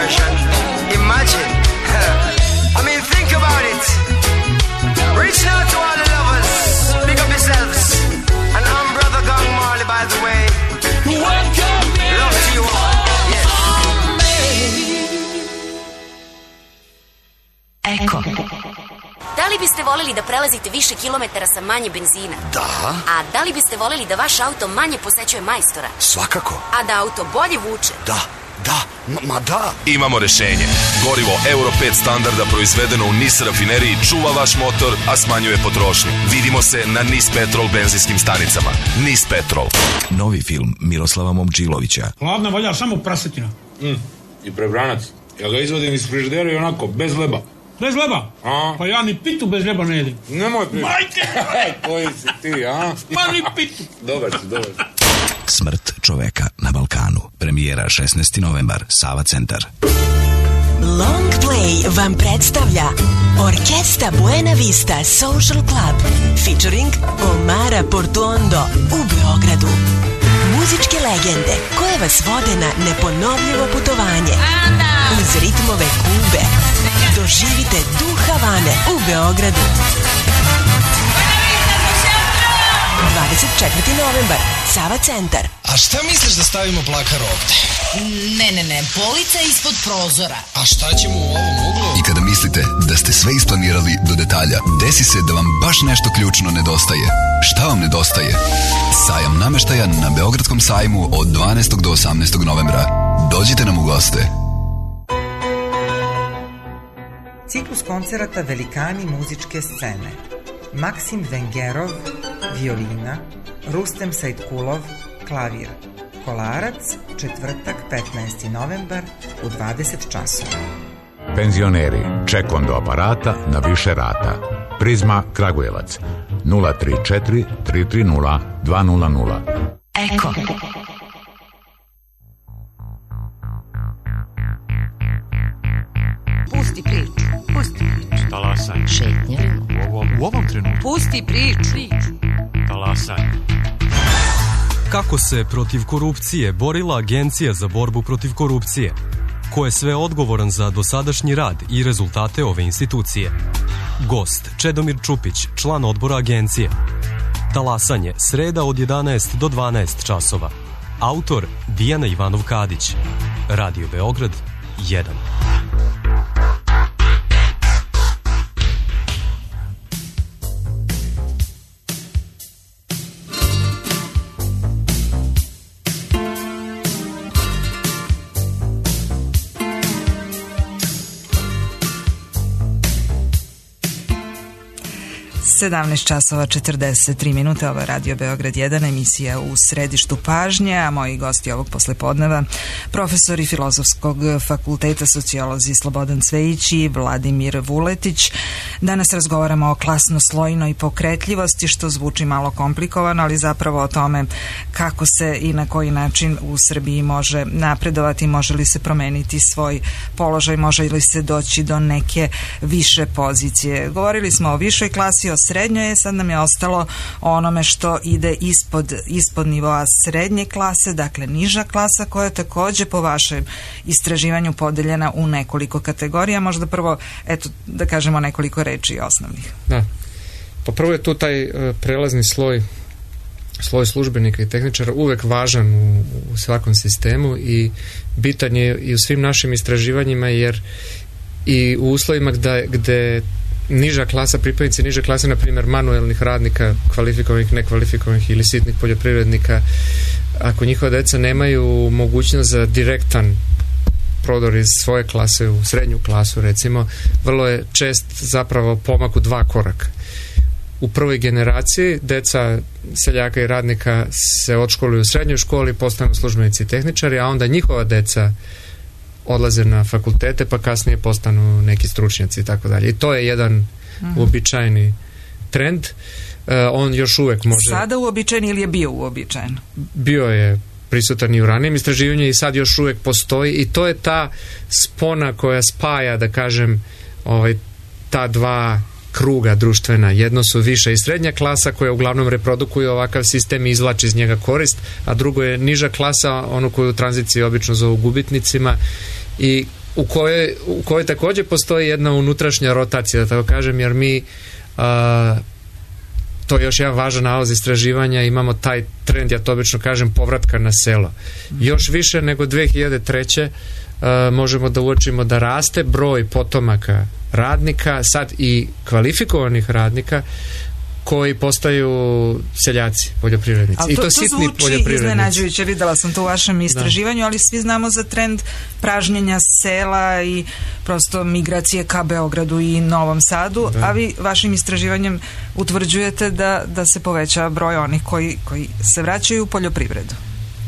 version. Imagine. I mean, think about it. Reach out to all the lovers. Pick up yourselves. And I'm Brother Gang Marley, by the way. Love to you all. Yes. Eko. Da li biste voleli da prelazite više kilometara sa manje benzina? Da. A da li biste voleli da vaš auto manje posećuje majstora? Svakako. A da auto bolje vuče? Da, da, ma, ma da. Imamo rešenje. Gorivo Euro pet standarda proizvedeno u Nis rafineriji čuva vaš motor, a smanjuje potrošnju. Vidimo se na Nis Petrol benzinskim stanicama. Nis Petrol. Novi film Miroslava Momčilovića. Hladna valja samo prasetina. Mm. I prebranac. Ja ga izvodim iz frižidera i onako, bez leba. Bez leba? A? Pa ja ni pitu bez leba ne jedim. Nemoj pitu. Majke! Koji si ti, a? Ma ni pitu. Dobar si, dobar si. Smrt čoveka na Balkanu. Premijera šesnaesti novembar, Sava centar. Long Play vam predstavlja Orkesta Buena Vista Social Club featuring Omara Portuondo u Beogradu. Muzičke legende koje vas vode na neponovljivo putovanje uz ritmove Kube. Doživite duh Havane u Beogradu. dvadeset četvrti novembar, Sava centar. A šta misliš da stavimo plakar ovde? Ne, ne, ne, polica ispod prozora. A šta ćemo u ovom uglu? I kada mislite da ste sve isplanirali do detalja, desi se da vam baš nešto ključno nedostaje. Šta vam nedostaje? Sajam nameštaja na Beogradskom sajmu od dvanaestog do osamnaestog novembra. Dođite nam u goste. Ciklus koncerata Velikani muzičke scene. Maksim Vengerov, violina, Rustem Sajtkulov, klavir. Kolarac, četvrtak, petnaesti novembar u dvadeset časova. Penzioneri, ček do aparata na više rata. Prizma Kragujevac, nula tri četiri tri tri nula dva nula nula. Eko. Pusti priču, pusti priču. Talasaj. Šetnja. U ovom, u ovom trenutku. Pusti priču. Talasaj. Kako se protiv korupcije borila Agencija za borbu protiv korupcije? Ko je sve odgovoran za dosadašnji rad i rezultate ove institucije? Gost Čedomir Čupić, član odbora agencije. Talasanje, sreda od jedanaest do dvanaest časova. Autor Dijana Ivanov-Kadić. Radio Beograd jedan. sedamnaest časova četrdeset tri minute, ovo je Radio Beograd jedan, emisija u središtu pažnje, a moji gosti ovog poslepodneva, profesori Filozofskog fakulteta, sociolozi Slobodan Cvejić i Vladimir Vuletić. Danas razgovaramo o klasnoslojnoj pokretljivosti, što zvuči malo komplikovano, ali zapravo o tome kako se i na koji način u Srbiji može napredovati, može li se promeniti svoj položaj, može li se doći do neke više pozicije. Govorili smo o višoj klasi, o srednjoj, sad nam je ostalo onome što ide ispod, ispod nivoa srednje klase, dakle niža klasa, koja je takođe po vašem istraživanju podeljena u nekoliko kategorija. Možda prvo, eto, da kažemo nekoliko reči osnovnih. Da. Pa prvo je tu taj uh, prelazni sloj sloj službenika i tehničara uvek važan u, u svakom sistemu i bitan je i u svim našim istraživanjima, jer i u uslovima gde, gde niža klasa, pripadnici niže klase, na primjer manuelnih radnika, kvalifikovanih, nekvalifikovanih ili sitnih poljoprivrednika, ako njihova deca nemaju mogućnost za direktan prodor iz svoje klase u srednju klasu, recimo, vrlo je čest zapravo pomak u dva koraka. U prvoj generaciji deca seljaka i radnika se odškoluju u srednjoj školi, postanu službenici i tehničari, a onda njihova deca odlaze na fakultete, pa kasnije postanu neki stručnjaci i tako dalje. I to je jedan mm-hmm. uobičajeni trend. Uh, on još uvek može... Sada uobičajen ili je bio uobičajen? Bio je prisutan i u ranijem istraživanju i sad još uvek postoji, i to je ta spona koja spaja, da kažem, ovaj, ta dva kruga društvena. Jedno su viša i srednja klasa koja uglavnom reprodukuje ovakav sistem i izvlači iz njega korist, a drugo je niža klasa, onu koju u tranziciji obično zovu gubitnicima, i u kojoj, u kojoj također postoji jedna unutrašnja rotacija, da tako kažem, jer mi a, to je još jedan važan nalaz istraživanja, imamo taj trend, ja to obično kažem, povratka na selo. Još više nego dve hiljade treće Uh, možemo da uočimo da raste broj potomaka radnika, sad i kvalifikovanih radnika koji postaju seljaci, poljoprivrednici. Ali to, I to, to sitni zvuči poljoprivrednici. iznenađujuće, videla sam to u vašem istraživanju, da. Ali svi znamo za trend pražnjenja sela i prosto migracije ka Beogradu i Novom Sadu, da. A vi vašim istraživanjem utvrđujete da, da se poveća broj onih koji, koji se vraćaju u poljoprivredu.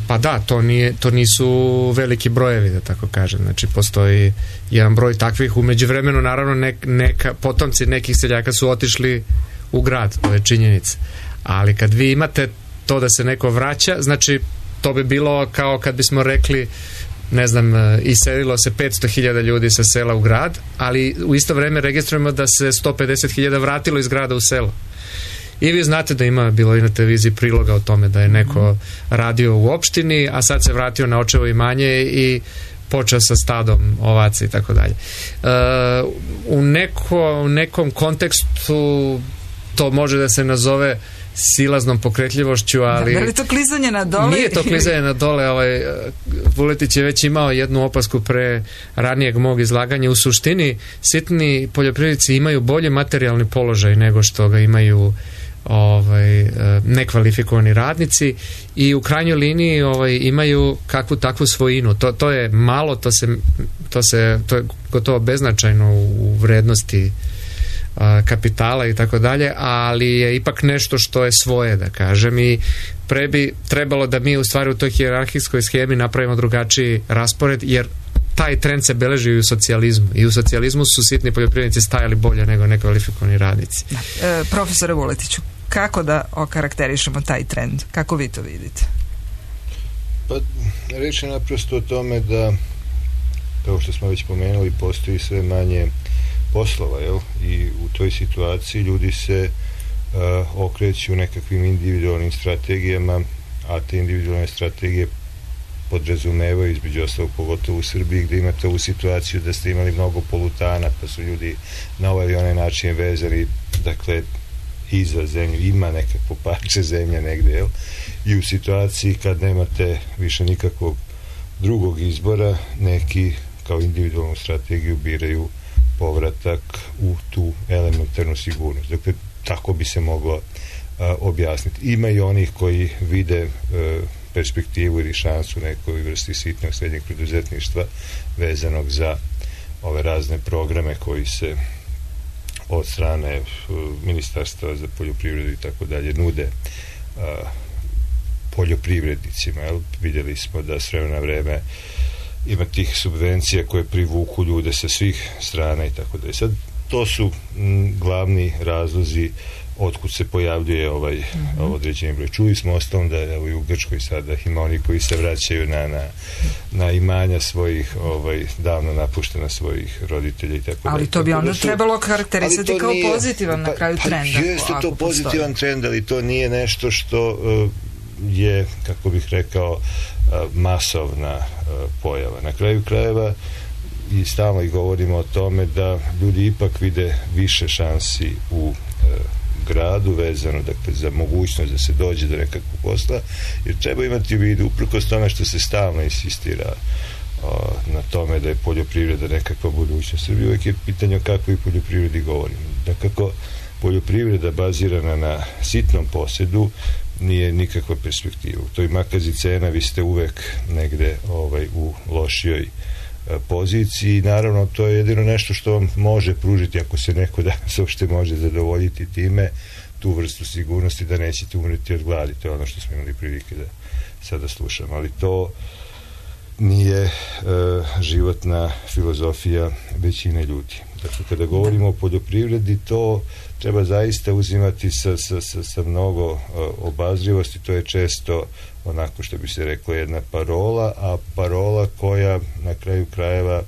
Pa da, to, nije, to nisu veliki brojevi, da tako kažem. Znači, postoji jedan broj takvih. U međuvremenu, naravno, nek, neka, potomci nekih seljaka su otišli u grad, to je činjenica. Ali kad vi imate to da se neko vraća, znači, to bi bilo kao kad bismo rekli, ne znam, iselilo se petsto hiljada ljudi sa sela u grad, ali u isto vreme registrujemo da se sto pedeset hiljada vratilo iz grada u selo. I vi znate da ima, bilo i na televiziji priloga o tome da je neko radio u opštini, a sad se vratio na očevo imanje i počeo sa stadom ovaca i tako dalje. U neko, u nekom kontekstu to može da se nazove silaznom pokretljivošću, ali... Da, da li to klizanje na dole? Nije to klizanje na dole, ovaj, Vuletić je već imao jednu opasku pre ranijeg mog izlaganja. U suštini, sitni poljoprivrednici imaju bolji materijalni položaj nego što ga imaju ovaj, nekvalifikovani radnici i u krajnjoj liniji ovaj, imaju kakvu takvu svojinu. To, to je malo, to se, to se to je gotovo beznačajno u vrednosti kapitala i tako dalje, ali je ipak nešto što je svoje, da kažem, i pre bi trebalo da mi u stvari u toj hijerarhijskoj schemi napravimo drugačiji raspored, jer taj trend se beleži i u socijalizmu. I u socijalizmu su sitni poljoprivrednici stajali bolje nego nekvalifikovani radnici. Da. E, profesore Vuletiću, kako da okarakterišemo taj trend? Kako vi to vidite? Pa, reč je naprosto o tome da, kao što smo već pomenuli, postoji sve manje poslova, jel? I u toj situaciji ljudi se uh, okreću nekakvim individualnim strategijama, a te individualne strategije podrazumevaju, između ostalog, pogotovo u Srbiji, gde imate ovu situaciju da ste imali mnogo polutana, pa su ljudi na ovaj i onaj način vezani, dakle, i za zemlju, ima nekakvo parče zemlje negde, jel? I u situaciji kad nemate više nikakvog drugog izbora, neki kao individualnu strategiju biraju povratak u tu elementarnu sigurnost. Dakle, tako bi se moglo a, objasniti. Ima i onih koji vide a, perspektivu ili šansu nekoj vrsti sitnog srednjeg preduzetništva vezanog za ove razne programe koji se od strane a, Ministarstva za poljoprivredu i tako dalje nude a, poljoprivrednicima. Jel? Vidjeli smo da s vremena na vreme ima tih subvencija koje privuku ljude sa svih strana i tako da je. Sad, to su m, glavni razlozi otkud se pojavljuje ovaj mm-hmm. određeni broj. Čuli smo ostalom da evo, i u Grčkoj sada ima oni koji se vraćaju na, na, na imanja svojih ovaj, davno napuštena svojih roditelja i tako da. Ali to bi onda su, trebalo karakterisati kao nije, pozitivan pa, na kraju pa, trenda. Pa jeste to pozitivan trend, ali to nije nešto što uh, je, kako bih rekao, masovna pojava. Na kraju krajeva i stalno i govorimo o tome da ljudi ipak vide više šansi u gradu vezano, dakle, za mogućnost da se dođe do nekakvog posla, jer treba imati u vidu, uprkos tome što se stalno insistira o, na tome da je poljoprivreda nekakva budućnost Srbije, uvijek je pitanje o kakvoj poljoprivredi govorimo. Da kako poljoprivreda bazirana na sitnom posjedu nije nikakva perspektiva. U toj makazi cena vi ste uvek negde ovaj, u lošijoj a, poziciji. Naravno, to je jedino nešto što vam može pružiti, ako se neko danas uopšte može zadovoljiti time, tu vrstu sigurnosti da nećete umreti od gladi. To je ono što smo imali prilike da sada slušamo. Ali to nije e, životna filozofija većine ljudi. Dakle, kada govorimo o poljoprivredi, to treba zaista uzimati sa, sa, sa, sa mnogo uh, obazrivosti. To je često onako što bi se reklo jedna parola, a parola koja na kraju krajeva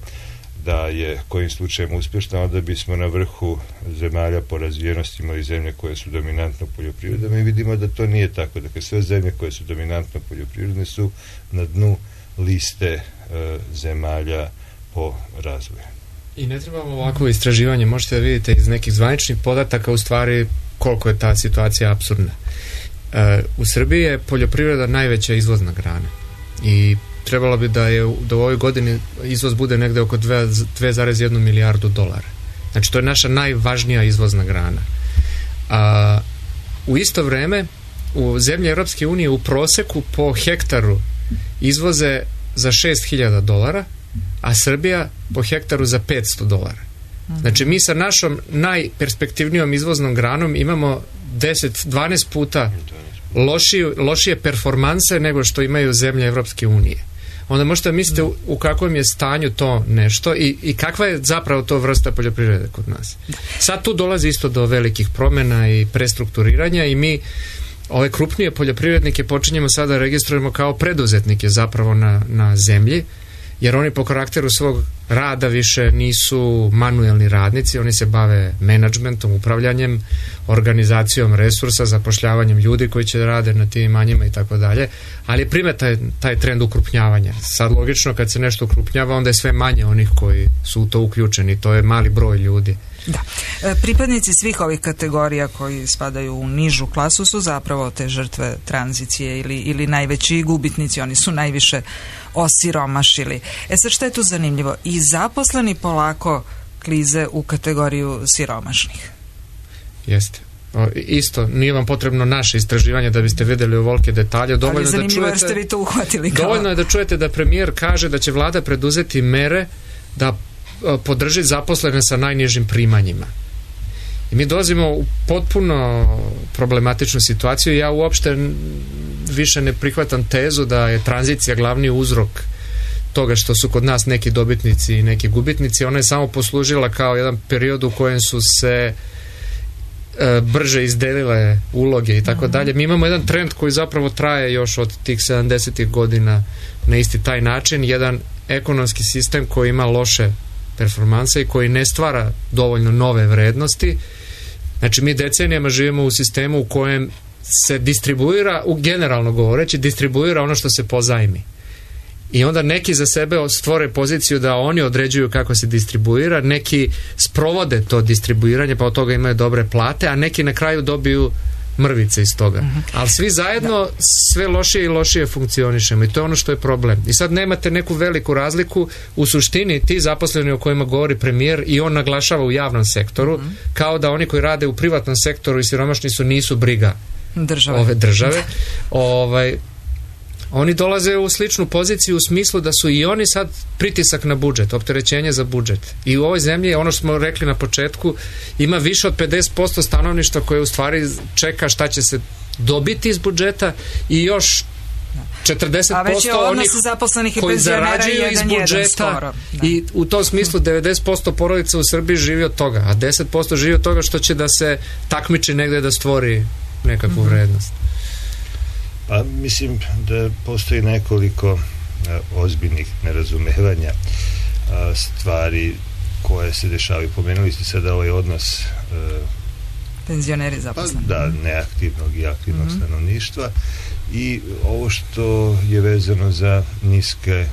da je kojim slučajem uspješna, onda bismo na vrhu zemalja po razvijenosti imali zemlje koje su dominantno poljoprivredne. Mi vidimo da to nije tako. Dakle, sve zemlje koje su dominantno poljoprivredne su na dnu liste uh, zemalja po razvoju. I ne trebamo ovako istraživanje, možete da vidite iz nekih zvaničnih podataka u stvari koliko je ta situacija apsurdna. E, u Srbiji je poljoprivreda najveća izvozna grana i trebalo bi da je da u ovoj godini izvoz bude negde oko dve zarez jedna milijardu dolara. Znači to je naša najvažnija izvozna grana. A u isto vreme u zemlje Europske unije u proseku po hektaru izvoze za šest hiljada dolara, a Srbija po hektaru za petsto dolara. Znači mi sa našom najperspektivnijom izvoznom granom imamo deset do dvanaest puta lošiju, lošije performanse nego što imaju zemlje Evropske unije. Onda možete misliti u, u kakvom je stanju to nešto i, i kakva je zapravo to vrsta poljoprivrede kod nas. Sad tu dolazi isto do velikih promjena i prestrukturiranja i mi ove krupnije poljoprivrednike počinjemo sada registrujemo kao preduzetnike zapravo na, na zemlji, jer oni po karakteru svog rada više nisu manuelni radnici, oni se bave menadžmentom, upravljanjem, organizacijom resursa, zapošljavanjem ljudi koji će rade na tim imanjima i tako dalje, ali je primeta taj, taj trend ukrupnjavanja. Sad logično kad se nešto ukrupnjava onda je sve manje onih koji su u to uključeni, to je mali broj ljudi. Da. E, pripadnici svih ovih kategorija koji spadaju u nižu klasu su zapravo te žrtve tranzicije ili, ili najveći gubitnici, oni su najviše osiromašili. E sad šta je tu zanimljivo? I zaposleni polako klize u kategoriju siromašnih. Jeste. O, isto, nije vam potrebno naše istraživanje da biste vidjeli ovolike detalje. Dovoljno ali zanimljivo da čujete, ste vi to uhvatili kao... Dovoljno je da čujete da premijer kaže da će vlada preduzeti mere da podrži zaposlene sa najnižim primanjima. I mi dolazimo u potpuno problematičnu situaciju. Ja uopšte više ne prihvatam tezu da je tranzicija glavni uzrok toga što su kod nas neki dobitnici i neki gubitnici. Ona je samo poslužila kao jedan period u kojem su se e, brže izdelile uloge i tako dalje. Mi imamo jedan trend koji zapravo traje još od tih sedamdesetih godina na isti taj način. Jedan ekonomski sistem koji ima loše performanse i koji ne stvara dovoljno nove vrednosti. Znači mi decenijama živimo u sistemu u kojem se distribuira, u generalno govoreći, distribuira ono što se pozajmi. I onda neki za sebe stvore poziciju da oni određuju kako se distribuira, neki sprovode to distribuiranje pa od toga imaju dobre plate, a neki na kraju dobiju mrvice iz toga. Uh-huh. Ali svi zajedno da. sve lošije i lošije funkcionišemo i to je ono što je problem. I sad nemate neku veliku razliku u suštini ti zaposleni o kojima govori premijer i on naglašava u javnom sektoru, uh-huh. kao da oni koji rade u privatnom sektoru i siromašni su nisu briga države. ove države. ovaj Oni dolaze u sličnu poziciju u smislu da su i oni sad pritisak na budžet, opterećenje za budžet. I u ovoj zemlji, ono što smo rekli na početku, ima više od pedeset posto stanovništva koje u stvari čeka šta će se dobiti iz budžeta i još četrdeset posto onih koji zarađuju iz budžeta i u tom smislu devedeset posto porodica u Srbiji živi od toga, a deset posto živi od toga što će da se takmiči negde da stvori nekakvu mm-hmm. vrednost. Pa mislim da postoji nekoliko a, ozbiljnih nerazumevanja a, stvari koje se dešavaju. Pomenuli ste sada ovaj odnos a, penzioneri zaposleni. Pa, da, neaktivnog i aktivnog mm-hmm. stanovništva i ovo što je vezano za niske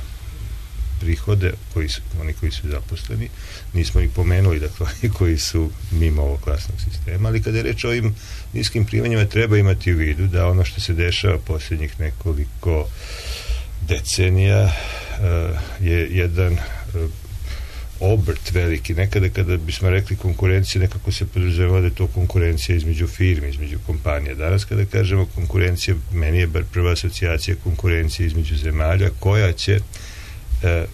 prihode, koji su, oni koji su zaposleni, nismo ih pomenuli, dakle, oni koji su mimo ovog klasnog sistema, ali kada je reč o ovim niskim primanjima, treba imati u vidu da ono što se dešava posljednjih nekoliko decenija uh, je jedan uh, obrt veliki. Nekada kada bismo rekli konkurencija, nekako se podrazumeva da je to konkurencija između firmi, između kompanija. Danas kada kažemo konkurencija, meni je bar prva asocijacija konkurencija između zemalja koja će e,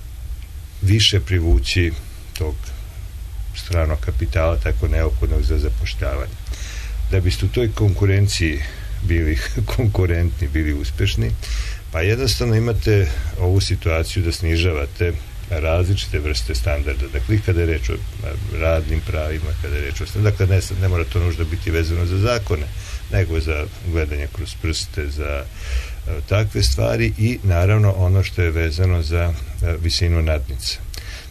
više privući tog stranog kapitala, tako neophodnog za zapošljavanje. Da biste u toj konkurenciji bili konkurentni, bili uspešni, pa jednostavno imate ovu situaciju da snižavate različite vrste standarda. Dakle, kada je reč o radnim pravima, kada je reč o... Dakle, ne, ne mora to nužda biti vezano za zakone, nego za gledanje kroz prste, za takve stvari i naravno ono što je vezano za visinu nadnica.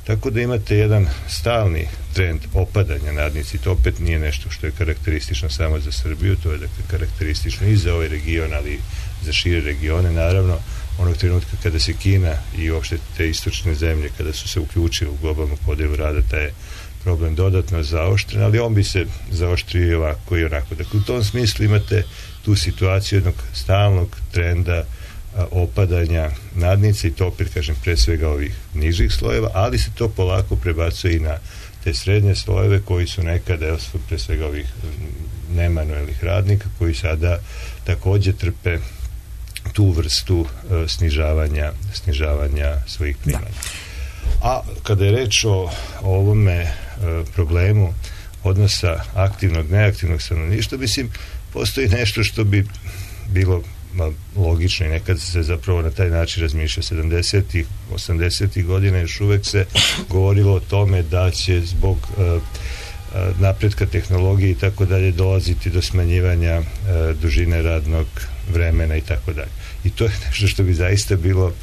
Tako da imate jedan stalni trend opadanja nadnici. To opet nije nešto što je karakteristično samo za Srbiju, to je dakle karakteristično i za ovaj region, ali za šire regione. Naravno, onog trenutka kada se Kina i uopšte te istočne zemlje, kada su se uključili u globalnu podjelu rada, taj je problem dodatno zaoštren, ali on bi se zaoštrio i ovako i onako. Dakle, u tom smislu imate tu situaciju jednog stalnog trenda a, opadanja nadnice i to opet, kažem, pre svega ovih nižih slojeva, ali se to polako prebacuje i na te srednje slojeve koji su nekada, evo, pre svega ovih nemanuelnih radnika koji sada takođe trpe tu vrstu uh, snižavanja, snižavanja svojih primanja. A kada je reč o, o ovome uh, problemu odnosa aktivnog, neaktivnog stanovništva, mislim, postoji nešto što bi bilo ma, logično i nekad se zapravo na taj način razmišlja. sedamdesetih, osamdesetih godina još uvek se govorilo o tome da će zbog uh, napretka tehnologije i tako dalje dolaziti do smanjivanja uh, dužine radnog vremena i tako dalje. I to je nešto što bi zaista bilo uh,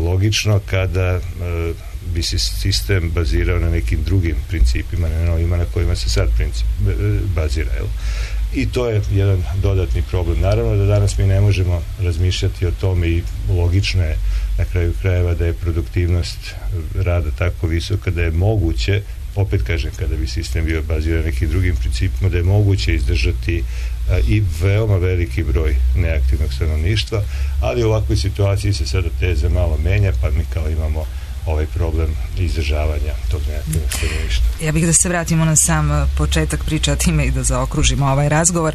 logično kada uh, bi se sistem bazirao na nekim drugim principima, ne na ovima na kojima se sad princip uh, bazira. Jel? I to je jedan dodatni problem. Naravno da danas mi ne možemo razmišljati o tome i logično je na kraju krajeva da je produktivnost rada tako visoka da je moguće, opet kažem, kada bi sistem bio baziran na nekim drugim principima, da je moguće izdržati a, i veoma veliki broj neaktivnog stanovništva, ali u ovakvoj situaciji se sada teza malo menja, pa mi kao imamo ovaj problem izdržavanja tog neaktivnog stanovništva. Ja bih da se vratimo na sam početak priče, a time i da zaokružimo ovaj razgovor.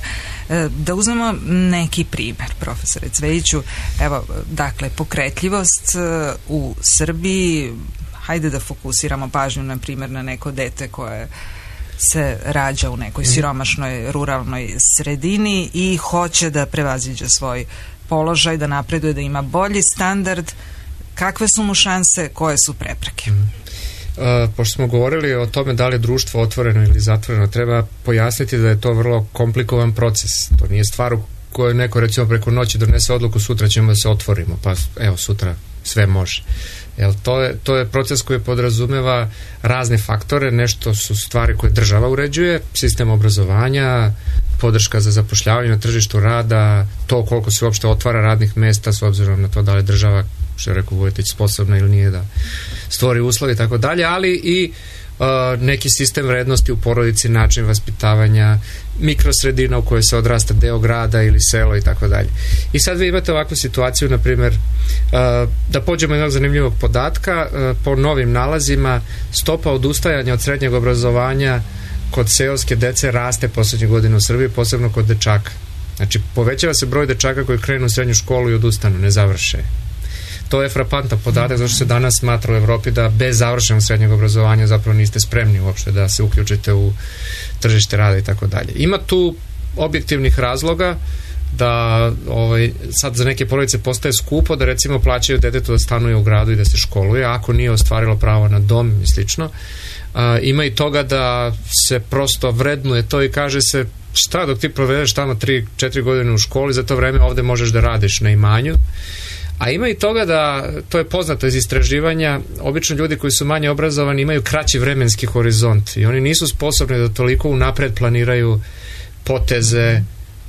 Da uzmemo neki primer, profesore Cvejiću. Evo, dakle, pokretljivost u Srbiji, hajde da fokusiramo pažnju, na primjer, na neko dete koje se rađa u nekoj siromašnoj ruralnoj sredini i hoće da prevaziđe svoj položaj, da napreduje, da ima bolji standard. Kakve su mu šanse, koje su prepreke? Mm. Uh, pošto smo govorili o tome da li je društvo otvoreno ili zatvoreno, treba pojasniti da je to vrlo komplikovan proces. To nije stvar u kojoj neko, recimo, preko noći donese odluku, sutra ćemo da se otvorimo, pa evo, sutra sve može. Jel, to je, to je proces koji podrazumeva razne faktore. Nešto su stvari koje država uređuje, sistem obrazovanja, podrška za zapošljavanje na tržištu rada, to koliko se uopšte otvara radnih mesta s obzirom na to da li država, što je rekao Vujetić, sposobna ili nije da stvori uslovi i tako dalje, ali i uh, neki sistem vrednosti u porodici, način vaspitavanja, mikrosredina u kojoj se odrasta deo grada ili selo i tako dalje. I sad vi imate ovakvu situaciju, na primjer, uh, da pođemo jednog zanimljivog podatka, uh, po novim nalazima stopa odustajanja od srednjeg obrazovanja kod seoske dece raste poslednje godine u Srbiji, posebno kod dečaka. Znači, povećava se broj dečaka koji krenu u srednju školu i odustanu, ne završe. To je frapantan podatak, zato što se danas smatra u Evropi da bez završenog srednjeg obrazovanja zapravo niste spremni uopšte da se uključite u tržište rada i tako dalje. Ima tu objektivnih razloga da ovaj, sad za neke porodice postaje skupo da recimo plaćaju detetu da stanuje u gradu i da se školuje, ako nije ostvarilo pravo na dom i slično. A, ima i toga da se prosto vrednuje to i kaže se šta dok ti provedeš tamo tri četiri godine u školi, za to vreme ovde možeš da radiš na imanju. A ima i toga da, to je poznato iz istraživanja, obično ljudi koji su manje obrazovani imaju kraći vremenski horizont i oni nisu sposobni da toliko unapred planiraju poteze,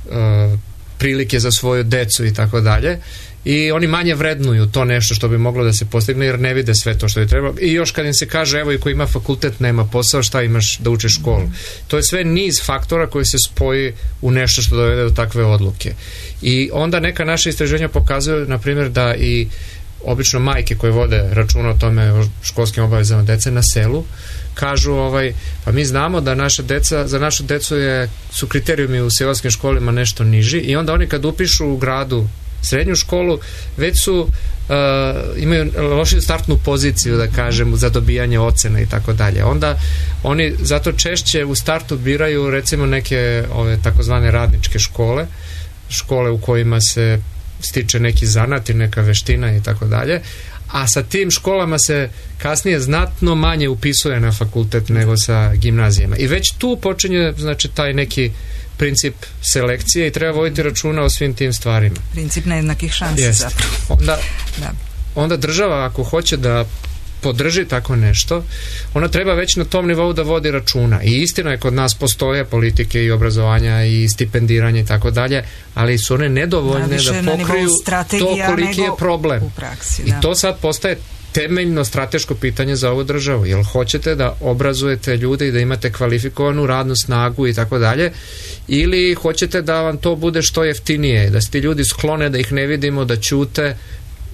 uh, prilike za svoju decu i tako dalje. I oni manje vrednuju to nešto što bi moglo da se postigne jer ne vide sve to što je treba. I još kad im se kaže, evo, i ko ima fakultet nema posao, šta imaš da učiš školu? To je sve niz faktora koji se spoji u nešto što dovede do takve odluke. I onda neka naša istraženja pokazuju, na primjer, da i obično majke koje vode računa o tome, o školskim obavezama dece na selu, kažu, ovaj, pa mi znamo da naša deca, za našu decu je, su kriterijumi u seoskim školima nešto niži i onda oni kad upišu u gradu srednju školu, već su uh, imaju lošiju startnu poziciju, da kažem, za dobijanje ocena i tako dalje. Onda oni zato češće u startu biraju recimo neke ove takozvane radničke škole, škole u kojima se stiče neki zanat i neka veština i tako dalje, a sa tim školama se kasnije znatno manje upisuje na fakultet nego sa gimnazijama. I već tu počinje, znači, taj neki princip selekcije i treba voditi računa o svim tim stvarima. Princip nejednakih šansi, Jest. zapravo. Onda, da. onda država, ako hoće da podrži tako nešto, ona treba već na tom nivou da vodi računa. I istina je, kod nas postoje politike i obrazovanja i stipendiranje i tako dalje, ali su one nedovoljne da pokriju to koliki je problem. U praksi, I to sad postaje temeljno strateško pitanje za ovu državu. Jel hoćete da obrazujete ljude i da imate kvalifikovanu radnu snagu i tako dalje, ili hoćete da vam to bude što jeftinije, da se ti ljudi sklone, da ih ne vidimo, da ćute,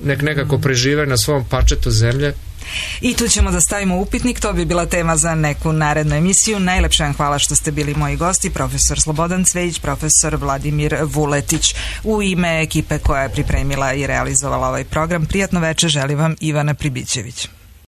nek nekako prežive na svom parčetu zemlje. I tu ćemo da stavimo upitnik, to bi bila tema za neku narednu emisiju. Najlepše vam hvala što ste bili moji gosti, profesor Slobodan Cvejić, profesor Vladimir Vuletić. U ime ekipe koja je pripremila i realizovala ovaj program, prijatno veče želi vam Ivana Pribićević.